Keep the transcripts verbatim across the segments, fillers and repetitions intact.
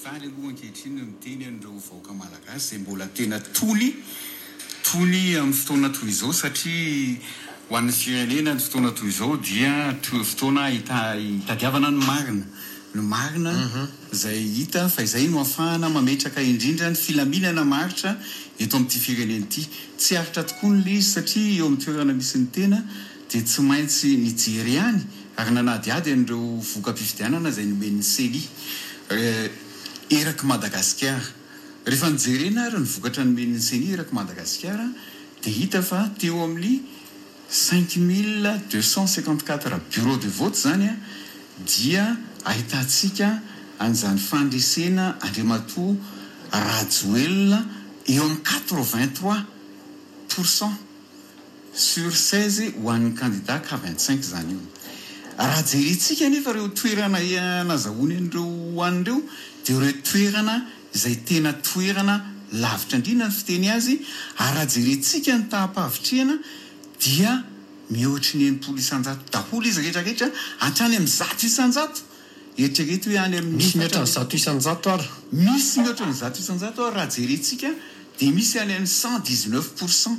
Faly aloha ankehitriny no miteny an'ireo vahoaka malagasy izay mbola tena tony, tony amin'ny fotoana toy izao, satria ho an'ny firenena ny fotoana toy izao dia fotoana hitadiavana ny marina, ny marina izay hita fa izay no ahafahana mametraka indrindra ny filaminana maharitra eto amin'ity firenena ity. Tsy aritra tokoa ny izy satria eo amin'ny toerana misy ny tena dia tsy maintsy nijery ihany ary nanadihady an'ireo voka-pifidianana izay nomen'ny CENI eraky Madagasikara. Rehefa nijerena ary ny vokatra nomen'ny CENI eraky Madagasikara dia hita fa teo amin'ny cinq mille deux cent cinquante quatre bureau de vote izany dia ahitantsika an'izany fandresena Andriamatoa Rajoelina eo amin'ny quatre vingt trois pourcent sur seize ho an'ny candidat K vingt cinq izany io. Raha jerentsika nefa ireo toerana nazahoany an'ireo an'ireo dia ireo toerana izay tena toerana lavitra indrindra ny fiteny azy, ary raha jerentsika ny taham-pahavitrihana dia mihoatry ny enimpolo isanjato daholo izy rehetrarehetra hatrany amin'ny zato isanjato. Eritrereto hoe any amin'ny Misy mihoatra ny zato isanjato ary. Misy mihoatra ny zato isanjato ary raha jerentsika dia misy any amin'ny cent dix neuf pourcent.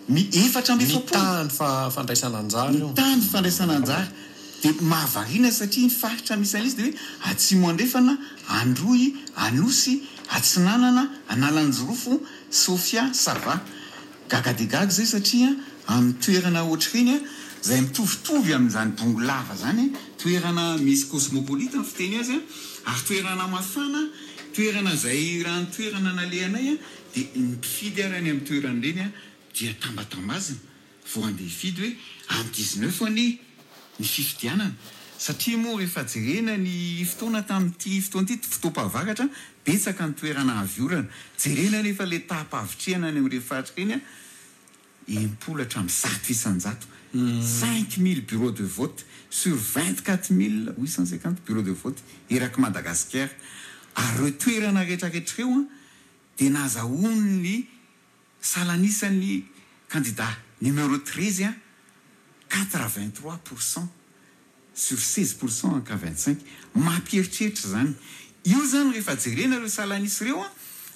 Mi efatra amby efapolo. Mitaha ny fa-, fandraisana anjara io. Mitaha ny fandraisana anjara. Dia mahavariana satria ny faritra misy an'izy dia hoe Atsimo Andrefana, Androy, Anosy, Atsinanana, Analanjirofo, Sofia, Sava. Gaga dia gaga izay satria amin'ny toerana ohatr'ireny izay mitovitovy amin'izany Bongolava izany, toerana misy cosmopolite ny fiteny azy, ary toerana mafana, toerana izay raha ny toerana nalehanay dia ny mpifidy ary any amin'ny toerana ireny dia tambatambazina vao handeha hifidy hoe amin'ny dix-neuf anie ny fifidianana, satria moa rehefa jerena ny fotoana tamin'ity fotoana ity, fotoam-pahavaratra, betsaka ny toerana avy orana. Jerena nefa ilay taham-pahavitrihana any amin'ireny faritra ireny, enimpolo hatramin'ny zato isanjato, cinq mille bureaux de vote sur vingt-quatre mille huit cent cinquante bureaux de vote eraky Madagasikara. Ary ireo toerana rehetrarehetra ireo dia nazahoan'ny salanisan'ny candidat numéro treize quatre-vingt-trois pourcent sur seize pourcent en K vingt-cinq. Mampieritreritra izany. Io zany rehefa jerena ireo salanisa ireo,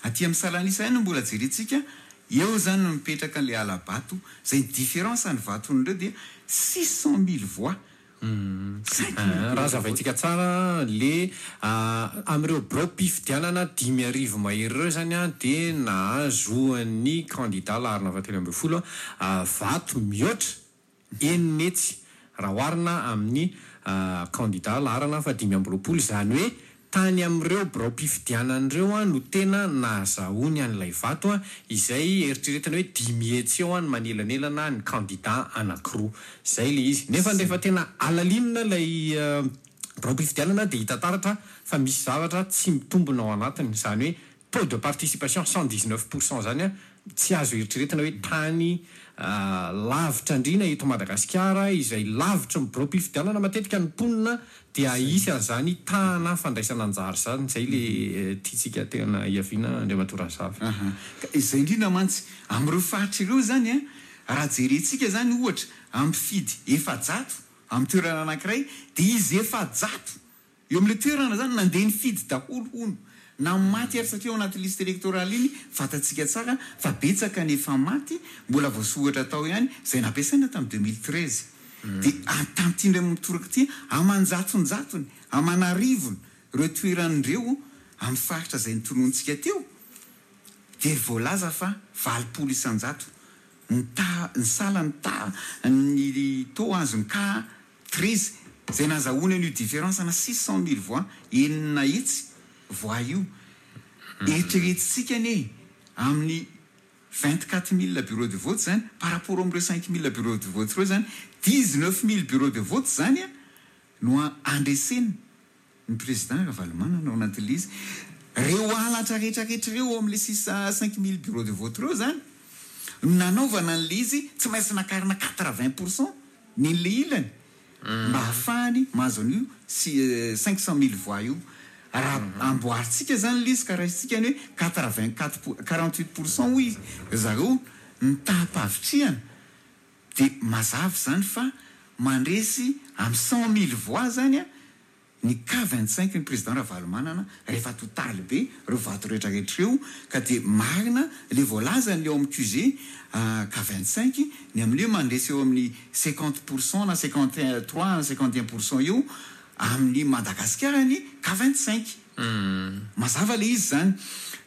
aty amin'ny salanisa ihany no mbola jerentsika, eo zany no mipetraka ilay alabato, izay ny différence ny vaton'ireo dia six cent mille voix. Cinq mille Raha zavaintsika tsara le amin'ireo birao-pifidianana dimy arivo mahery ireo zany a dia nahazoan'ny candidat laharana fahatelo ambin'ny folo vato mihoatra enina hetsy raha oharina amin'ny candidat laharana fahadimy amby roapolo. Izany hoe tany amin'ireo birao-pifidianana ireo a no tena nahazahoany an'ilay vato a, izay eritreretina hoe dimy hetsy eo a ny manelanelana ny candidat anankiroa. Izay ilay izy. Nefa rehefa tena alalinina ilay birao-pifidianana dia hita taratra fa misy zavatra tsy mitombina ao anatiny. Izany hoe taux de participation cent dix-neuf pourcent zany a tsy azo eritreretina hoe tany lavitra indrindra eto Madagasikara, izay lavitra ny birao-pifidianana matetika ny mponina dia hisy an'izany tahana fandraisana anjara izany. Izay le tiantsika tena hiaviana, Andriamatoa Razavy. Izay indrindra mantsy amin'ireo faritra ireo zany a, raha jerentsika zany ohatra amin'ny mpifidy efajato amin'ny toerana anankiray dia izy efajato eo amin'ilay toerana zany nandeha nifidy daholo hono. Na maty ary satria ao anaty liste électorale iny fantatsika tsara fa betsaka ny efa maty mbola voasoratra tao ihany izay nampiasaina tamin'ny deux mille treize. Dia tamin'ity indray mitoraka ity aman-jatonjatony, aman'arivony ireo toeran'ireo amin'ny faritra izay nitononintsika teo dia voalaza fa valopolo isanjato ny ta-, ny sala ny ta-, ny taux azony K treize izay nazahoany an'io différence na six cent mille voix, enina hetsy voix io. Eritreretintsika anie amin'ny vingt-quatre mille bureaux de vote zany par rapport amin'ireo cinq mille bureaux de vote ireo zany, dix-neuf mille bureaux de vote zany a no andreseny ny président Ravalomanana ao anatin'ilay izy. Reo halatra rehetrarehetra ireo ao amin'ilay six à cinq mille bureaux de vote ireo zany no nanaovana an'ilay izy, tsy maintsy nakarina quatre-vingts pourcent ny an'ilay ilany mba ahafahany mahazo an'io cinq cent mille voix io. Raha amboarintsika zany ilay izy ka raisitsika ny hoe quatre-vingt-quatre pour-, quarante-huit pourcent hoy zareo ny taham-pahavitrihana, dia mazava zany fa mandresy amin'ny cent mille voix zany a ny K vingt-cinq ny président Ravalomanana rehefa totaly be ireo vato rehetrarehetra ireo, ka dia marina ilay voalazany eo amin'ny Q G K vingt-cinq ny amin'io mandresy eo amin'ny cinquante pour cent na cinquante trois na cinquante un pour cent eo amin'ny Madagasikara ny K vingt-cinq. Mazava le izy zany.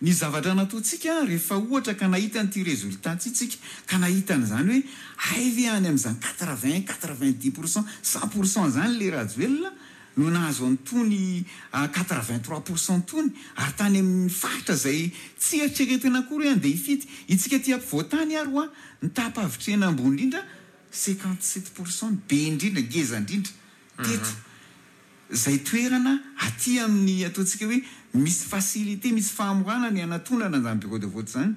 Ny zavatra nataontsika rehefa ohatra ka nahita an'ity résultat ty tsika, ka nahita an'izany hoe hay ve any amin'izany quatre-vingt, quatre-vingt-dix pour cent, cent pour cent zany le Rajoelina no nahazo an'itony quatre-vingt-trois pour cent tony, ary tany amin'ny faritra zay tsy eritreretina akory hoe andeha hifidy itsika ty ampovoantany ary hoa ny taha-pahavitrihana ambony indrindra, cinquante-sept pour cent, be indrindra, ngeza indrindra teto zay toerana aty amin'ny ataontsika hoe misy facilité, misy fahamorana ny anatonana zany bureau de vote zany,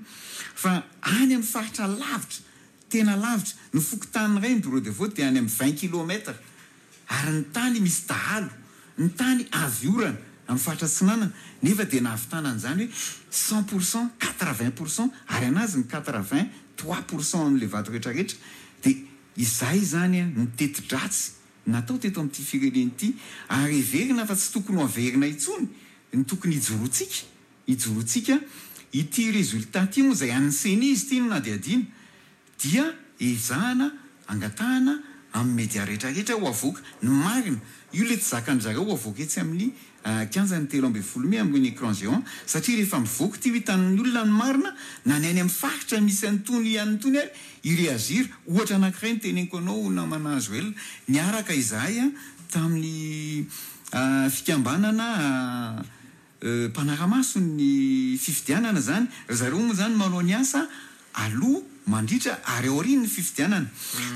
fa any amin'ny faritra lavitra, tena lavitra, ny fokontany ray ny bureau de vote de any amin'ny vingt kilomètres, ary ny tany misy dahalo, ny tany avy orana amin'ny faritra Atsinanana, nefa de nahavitana an'izany hoe cent pour cent, quatre-vingt pour cent, ary anazy ny quatre-vingt trois pour cent amin'le vato rehetrarehetra. De izay zany a ny teti-dratsy natao teto amin'ity firenena ity, ary heverina fa tsy tokony ho averina intsony. Ny tokony hijoroantsika hijoroantsika ity résultat ty moa zay an'ny CENI izy ity no nadiadiana, dia ezahana angatahana amin'ny média rehetrarehetra ho avoaka ny marina io, le tsy zakan-dry zareo ho avoaka etsy amin'ny kianjany telo ambin'ny folo mey amin'ny écran géant, satria rehefa mivoaka ty ho hitan'ny olona ny marina, na ny any amin'ny faritra misy an'itony an'itony ary iréagir. Ohatra anankiray ny teneniko anao, namana Joel, niaraka izahay a tamin'ny fikambanana mpanaramaso ny fifidianana zany. Ry zareo moa zany manao ny asa aloha, mandritra ary aorian'ny fifidianana.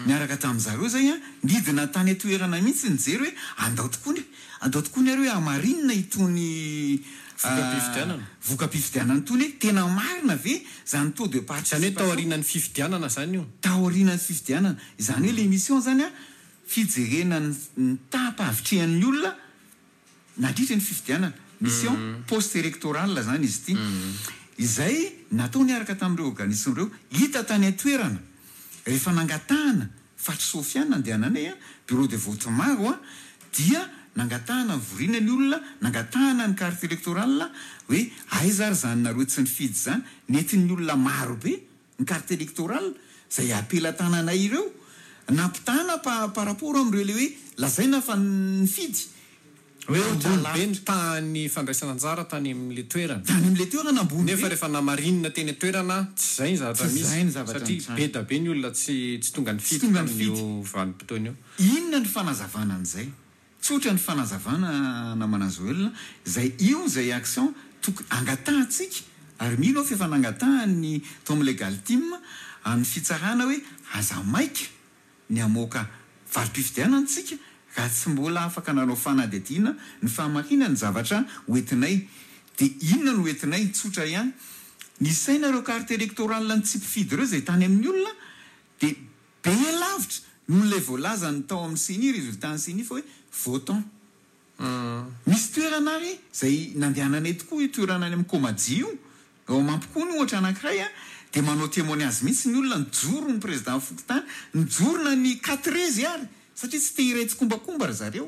Niaraka tamin'zareo zay a nidina tany atoerana mihitsy nijery hoe andao tokoa ny andao tokoa ny ary hoe amarinina itony voka-pifidianana. Voka-pifidianana itony, hoe tena marina ve zany taux de Zany hoe taorian'ny fifidianana zany io? Taorian'ny fifidianana izany, hoe le mission zany a fijerena ny taha-pahavitrihan'ny olona nandritra ny fifidianana, mission post électorale zany izy ity, izay natao niaraka tamin'ireo organisme ireo. Hita tany an-toerana rehefa nangatahana fatry Sofiana andehananay a bureau de vote maro a dia nangatahana nivorina ny olona, nangatahana ny carte électorale hoe aiza ary zany nareo tsy nifidy zany. Nentin'ny olona maro be ny carte électorale zay apelatananay ireo, nampitana pa par rapport am'ireo le hoe lazaina fa nifidy. Hoe ambony be ny tahan'ny fandraisana anjara tany amin'le toerana. Tany amin'le toerana ambony. Nefa rehefa namarinina teny an-toerana, tsy zay ny zavatra Tsy zay ny misy zavatra satria nitranga. Be da be ny olona tsy tsy tonga nifidy Tsy tonga tamin'io vanim-potoana io. Inona ny fanazavana an'izay? Tsotra ny fanazavana, namana Joel, zay io zay action toko angatahantsika, ary mino aho fa efa nangatahany tao amin'ny legal team amin'ny fitsarana hoe aza maika ny amoaka valim-pifidianana tsika raha tsy mbola afaka nanao fanadihadiana ny fahamarinana ny zavatra hoentinay. De inona no hoentinay? Tsotra ihany ny saina, ireo carte électorale ny tsy mpifidy ireo zay tany amin'ny olona de be lavitra noho lay voalazany tao amin'ny CENI, résultat ny CENI fa hoe votant. Misy toerana ary zay nandehananay tokoa, io toerana any amin'ny Komaji io ao Mampikony ohatra anankiray a de manao témoignage mihitsy ny olona, nijoro ny président fokontany, nijorona ny quatre ary satria tsy te hiray tsikombakomba ry zareo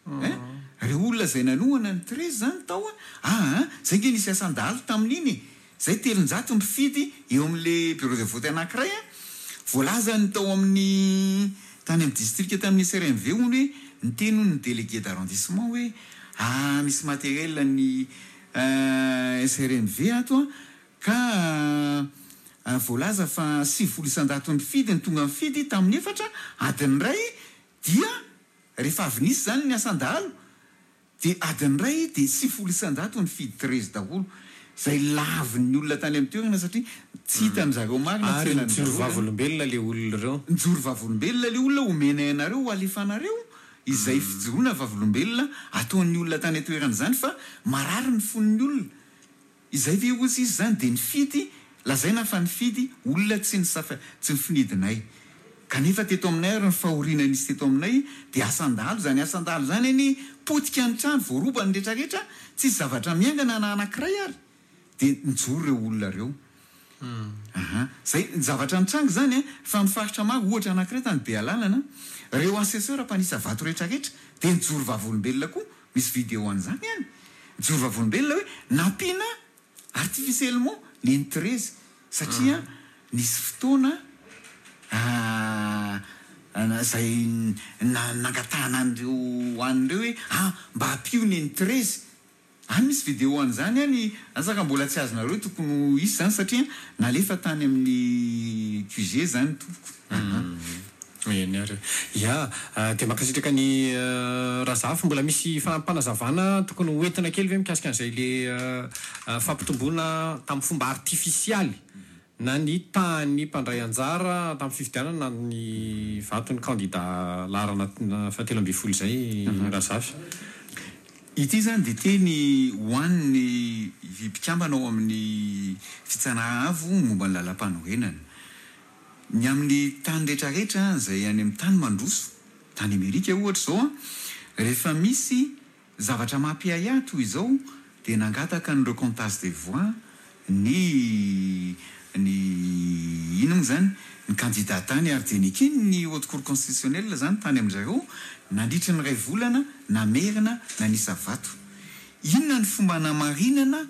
hein, reo olona zay nanohana ny treize zany tao a aa zay nge nisy asan-dahalo tamin'iny zay, telonjato mifidy eo amin'le bureau de vote anankiray a voalazany tao amin'ny tany amin'ny district tamin'ny S R M V hony hoe niteny ny délégué d'arrondissement hoe ah, misy matériel ny S R M V ato a ka voalaza fa sivifolo isan-jato mifidy ny tonga mifidy tamin'ny efatra adiny ray, dia rehefa avy nisy zany ny asan-dahalo de adiny ray de sivifolo isan-jato ny fidy treize daholo, zay lavin'ny olona tany amin'ny toerana satria tsy hitany zareo marina. Ary nijoro vavolombelona le olona ireo. Nijoro vavolombelona le olona, omenay anareo, ho alefanareo izay fijoroana vavolombelona ataon'ny olona tany an-toerana zany, fa marary ny fon'ny olona izay ve ozy izy zany de nifidy, lazaina fa nifidy olona tsy nisafa tsy nifinidinay, kanefa teto aminay ary ny fahoriana nisy teto aminay de asan-dahalo zany, asan-dahalo zany any, potika ny trano, voaroba ny rehetrarehetra, tsisy zavatra miangana na anankiray, ary de nijoro ireo olona reo. Aha, zay ny zavatra nitranga zany a fa mifaritra maro, ohatra anankiray tany be alalana, reo assesseur mpanisa vato rehetrarehetra de nijoro vavolombelona koa. Misy vidéo an'izany any, mijoro vavolombelona hoe nampiana artificiellement neny treize, satria nisy fotoana zay nangatahana an'ireo an'ireo hoe ah, mba ampio neny treize any. Misy vidéo an'izany any, azaka mbola tsy azonareo, tokony ho isy zany satria nalefa tany amin'ny Q G zany, tompoko. Eny ary ya, de mankasitraka ny Razafy. Mbola misy fampanazavana tokony hoentina kely ve mikasika an'izay le fampitomboana tamin'ny fomba artifisialy na ny tahan'ny mpandray anjara tamin'ny fifidianana ny vaton'ny kandida laharana fahatelo amby folo zay, Razafy? Ity zany de teny hoan'ny mpikambana ao amin'ny Fitsarana Avo momba ny lalam-panorenana. Ny amin'ny tany rehetrarehetra zay any amin'ny tany mandroso, tany Amerika ohatra zao a, rehefa misy zavatra mampiahiahy toy izao de nangataka ny recomptage des voix ny ny ino moa zany, ny candidat tany, ary de nekeny ny Haute Cour constitutionnelle zany tany am'zareo nandritra ny ray volana namerina nanisa vato. Inona ny fomba namarinana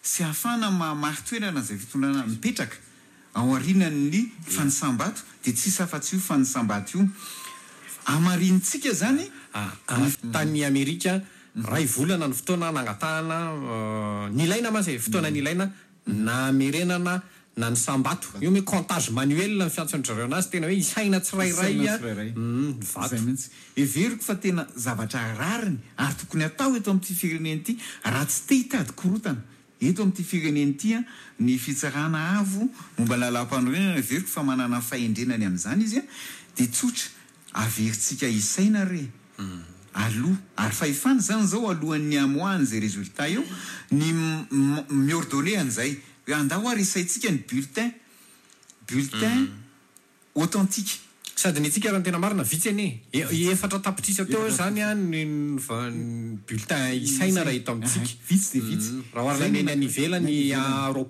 sy ahafahana mahamari-toerana zay fitondrana mipetraka ao arinany fanisam-bato? De tsisy afa-tsy io fanisam-bato io amarinitsika zany. Tany Amerika, ray volana ny fotoana nangatahana nilaina mantsy, fotoana nilaina namerenana na ny sambato io hoe comptage manuel ny fiantson'ny anazy, tena hoe isaina tsirairay a mm, vato. Zay mihitsy. Everiko fa tena zavatra rariny ary tokony atao eto amin'ity firenena ity raha tsy te hitady korotana eto amin'ity firenena ity a ny Fitsarana Avo momba ny lalam-panorenana. Everiko fa manana fahendrenany amin'izany izy a, de tsotra, averintsika isaina re aloha, ary fahefana zany zao alohan'ny amoahany zay résultat io ny mi-ordonner an'izay hoe andao ary isaintsika ny bulletin bulletin authentique. Sady ny antsika raha ny tena marina vitsy anie e, efatra tapitrisa teo zany a ny ny bulletin isaina raha eto amintsika. Vitsy de vitsy. Mm, raha oharina ny any ivelany a roapolo.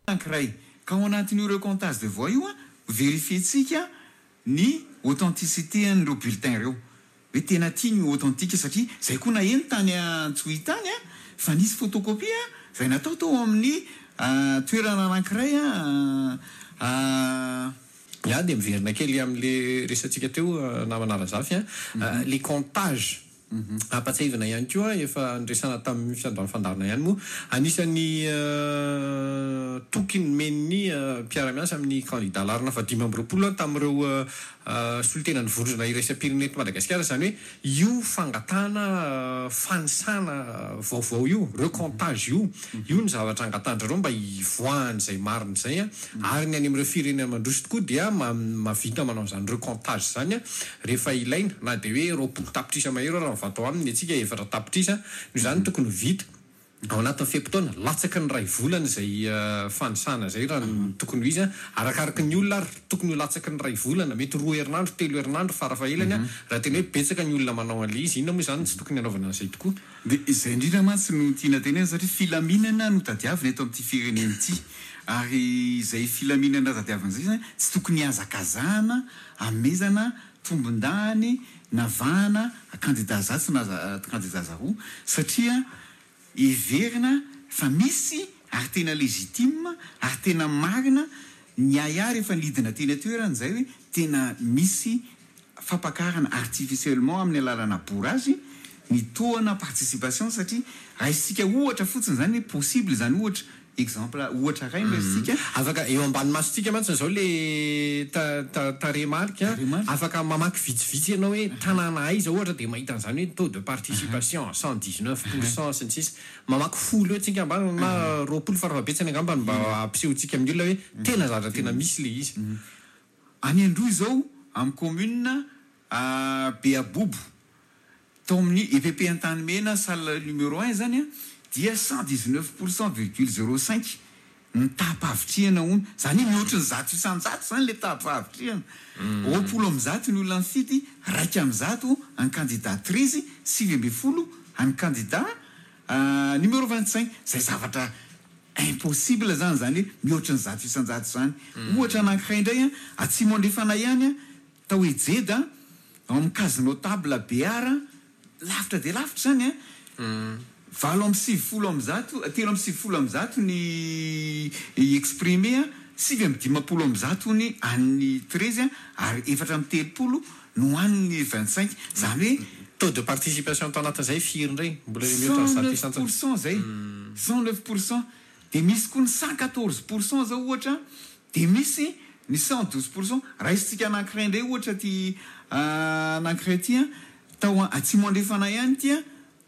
Anankiray ka ao anatin'io recomptage de voix io a, vérifier-tsika ny authenticité an'ireo bulletin ireo hoe tena tia ny authentique, satria zay koa naheno tany Antsohihy tany a fa nisy photocopie a zay natao tao amin'ny toerana anankiray a. Ya, de miverina kely am'le resantsika teo, namana Razafy a, le comptage ampatsiahivina ihany koa, efa nresana tamin'ny fiandohan'ny fandaharana ihany moa, anisan'ny toky nomen'ny mpiara-miasa amin'ny kandida laharana fa dimy amby roapolo tamin'ireo solontena ny vondrona iraisam-pirenena eto Madagasikara zany hoe io fangatahana fanisana vaovao io, recomptage io io ny zavatra angatahan-drareo mba hivoahan'izay marina zay a. Ary ny any amin'ireo firenena mandroso tokoa dia ma- mahavita manao an'izany recomptage zany a rehefa ilaina, na de hoe roapolo tapitrisa mahery raha mivato aminy, antsika efatra tapitrisa no zany tokony ho vita ao anatin'ny fe-potoana latsaky ny ray volana zay fanisana zay raha ny tokony ho izy a. Arakaraky ny olona ary tokony ho latsaky ny ray volana, mety roa herinandro, telo herinandro farafahelany a, raha tena hoe betsaka ny olona manao an'le izy. Inona moa zany tsy tokony hanaovana an'izay tokoa? De izay indrindra mantsy no tiana tenena, satria filaminana no tadiavina eto amin'ity firenena ity, ary izay filaminana tadiavina zay zany tsy tokony hazakazahana amezana tombondany navahana kandida zatsy na kandida zaroa, satria everina fa misy ary tena légitime ary tena marina ny aia rehefa nidina teny atoerana zay hoe tena misy fampakarana artificiellement amin'ny alalana bourrage ny taux-na participation. Satria raha isika ohatra fotsiny zany hoe possible zany, ohatra, exemple, ohatra ray no isika. Afaka eo ambany masontsika mantsy zao le ta- ta- tarehimarika. Tarehimarika. Afaka mamaky vitsivitsy ianao hoe tanàna aiza ohatra, de mahita an'izany hoe taux de participation cent dix neuf pourcent sy ny sisa. Mamaky folo eo tsika ambany na roapolo farafahabetsany angambany mba ampisehontsika amin'ny olona hoe tena zavatra tena misy le izy. Any Androy zao, amin'ny commune Beabobo, tao amin'ny E P P Antanimena, salle numéro un zany a, dia cent dix neuf pourcent virgule zéro cinq ny taha-pahavitrihana hono zany hoe mihoatry ny zato isanjato zany le taha-pahavitrihana. Roapolo am'zato ny olona nifidy, raika am'zato any candidat treize, sivy amby folo any candidat numéro vingt cinq, zay zavatra impossible zany zany hoe mihoatry ny zato isanjato zany. Ohatra anankiray indray a, Atsimo Andrefana ihany a, tao Ejeda. Ao amin'ny case notable Béara, lavitra dia lavitra izany an, valo amby sivifolo amby zato, telo amby sivifolo amby zato ny exprimé an, sivy amby dimampolo amby zato ny an'ny treize ary efatra amby telopolo no an'ny vingt cinq. Izany hoe Taux de participation tao anatin'izay firy indray? Mbola mihoatra ny cent zato neuf isan-jato. pour cent izay, cent neuf pour cent. Dia misy koa ny cent quatorze pour cent izao ohatra, dia misy ny cent douze pour cent. Raisintsika anankiray indray ohatra ity anankiray ity an, tao atsimo andrefana ihany ity an,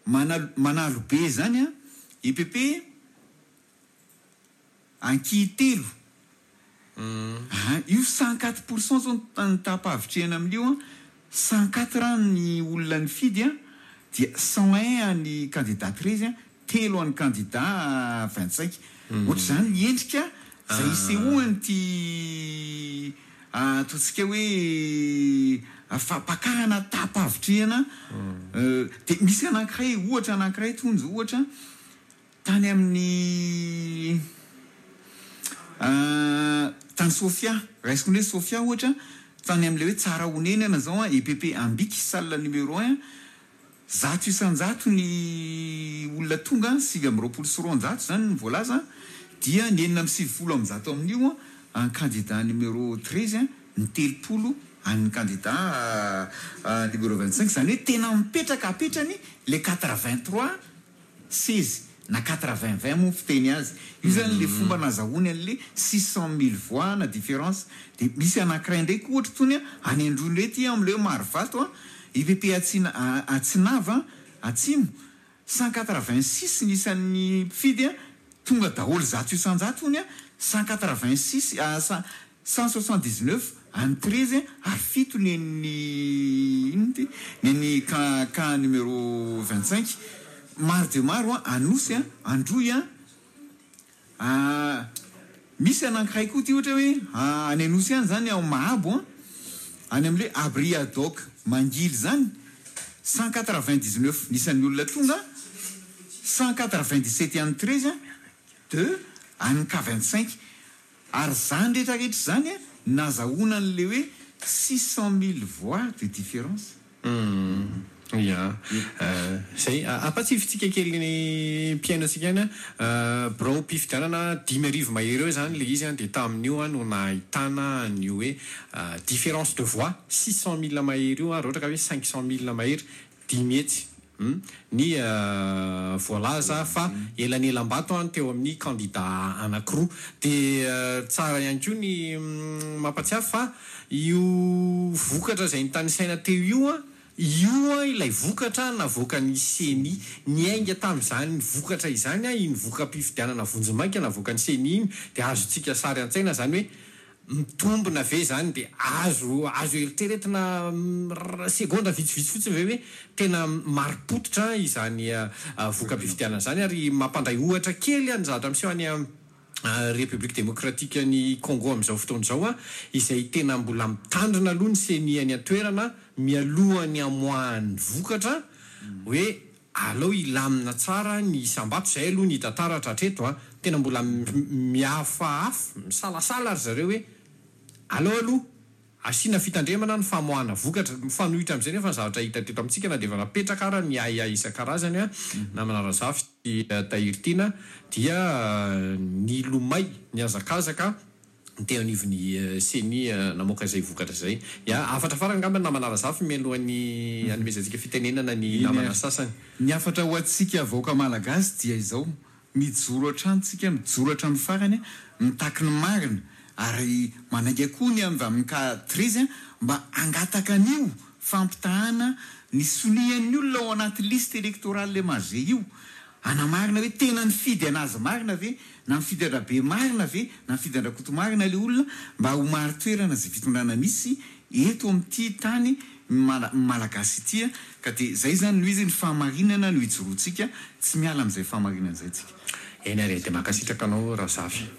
Manalo, Manalobe izany an, E P P Ankihitelo. Ah, io cent quatre pour cent zao ny taham-pahavitrihana amin'io an, cent quatre ny olona nifidy an, dia cent un ny candidat treize an, telo an'ny candidat vingt cinq. Ohatr'izany ny endrika izay isehoan'ity, ataontsika hoe fampakarana taham-pahavitrihana. Dia misy anankiray ohatra anankiray tonjo ohatra tany amin'ny, tany Sofia, raisiko ny hoe Sofia ohatra, tany amin'ilay hoe tsara honenana zao an, E P P Ambiky, salle numéro un, zato isan-jato ny olona tonga, sivy amby roapolo sy roanjato zany ny voalaza, dia ny enina amby sivifolo amby zato amin'io an, an candidat numéro treize an, ny telopolo an'ny candidat numéro vingt-cinq. Zany hoe tena mipetraka apetrany le quatre-vingt-trois seize na quatre-vingt vingt moa fiteny azy. Io zany le fomba nazahoany an'le six cent mille voix na différence. Dia misy anankiray indray koa ohatra tony any Androy indray ty amin'ilay hoe Marovato an, E P P Atsina, Atsinava Atsimo, cent quatre-vingt-six ny isan'ny mpifidy an, tonga daholo zato isan-jato ony an, cent quatre-vingt-six, cent, cent soixante-dix-neuf any treize ary fito ny ny inona ty? Ny ny K, K numéro vingt-cinq. Maro dia maro an, Anosy an, Androy an, misy anankiray koa ty ohatra hoe any Anosy ihany zany ao Mahabo an, any amin'ilay abri ad hoc Mangily zany, cent quatre-vingt-dix-neuf ny isan'ny olona tonga, cent quatre-vingt-dix-sept any treize an, deux any K vingt-cinq. Ary zany rehetrarehetra zany an, nazahoana an'ilay hoe six cent mille voix de différence. Hmm. Ya. Zay ampatsifintsika kely ny mpiaino antsika ihany an, birao mpifidianana dimy arivo mahery eo zany le izy an, dia tamin'io an no nahitana an'io hoe différence de voix six cent mille mahery io an, raha ohatra ka hoe cinq cent mille mahery dimy hetsy. Ny voalaza fa elanelam-bato an teo amin'ny candidat anankiroa. Dia tsara ihany koa ny mampatsiahy fa io vokatra izay nitanisaina teo io an, io an ilay vokatra navoakan'ny CENI. Niainga tamin'izany vokatra izany an, iny voka-pifidianana vonjimaika navoakan'ny CENI iny, dia azontsika sary an-tsaina zany hoe mitombina ve zany, dia azo, azo eritreretina segonda vitsivitsy fotsiny ve hoe tena marim-pototra izany voka-pifidianana izany. Ary mampandray ohatra kely ny zavatra miseho any République démocratique ny Congo amin'izao fotoana izao an, izay tena mbola mitandrina aloha ny CENI any an-toerana mialohan'ny hamoahan'ny vokatra hoe aleo hilamina tsara ny isam-bato. Izay aloha ny hita taratra hatreto an, tena mbola mihafahafa, misalasala ry zareo hoe aleo aloha asiana fitandremana ny famoahana vokatra. Mifanohitra amin'izay nefa ny zavatra hita teto amintsika, na dia efa napetraka ara ny ahiahy isan-karazany an, namana Razafy sy Tahiry Tiana, dia nilomay nihazakazaka teo anivon'ny CENI namoaka izay vokatra izay. Ya, hafatra farany angamba namana Razafy mialohan'ny hanomezantsika fitenenana ny namana sasany. Ny hafatra ho antsika vahoaka malagasy dia izao: mijoro hatrany tsika, mijoro hatramin'ny farany, mitaky ny marina, ary manainga koa ny avy amin'ny K treize mba hangataka an'io fampitahana ny sonian'ny olona ao anaty liste électorale M A G io, hanamarina hoe tena nifidy anazy marina ve, na nifidy an-dRabe marina ve, na nifidy an-dRakoto marina ilay olona, mba ho marin-toerana izay fitondrana misy eto amin'ity tany mala-, malagasy ity. Ka dia izay zany no izy, ny fahamarinana no ijoroantsika, tsy miala amin'izay fahamarinana izay tsika. Eny ary, dia mankasitraka anao Razafy.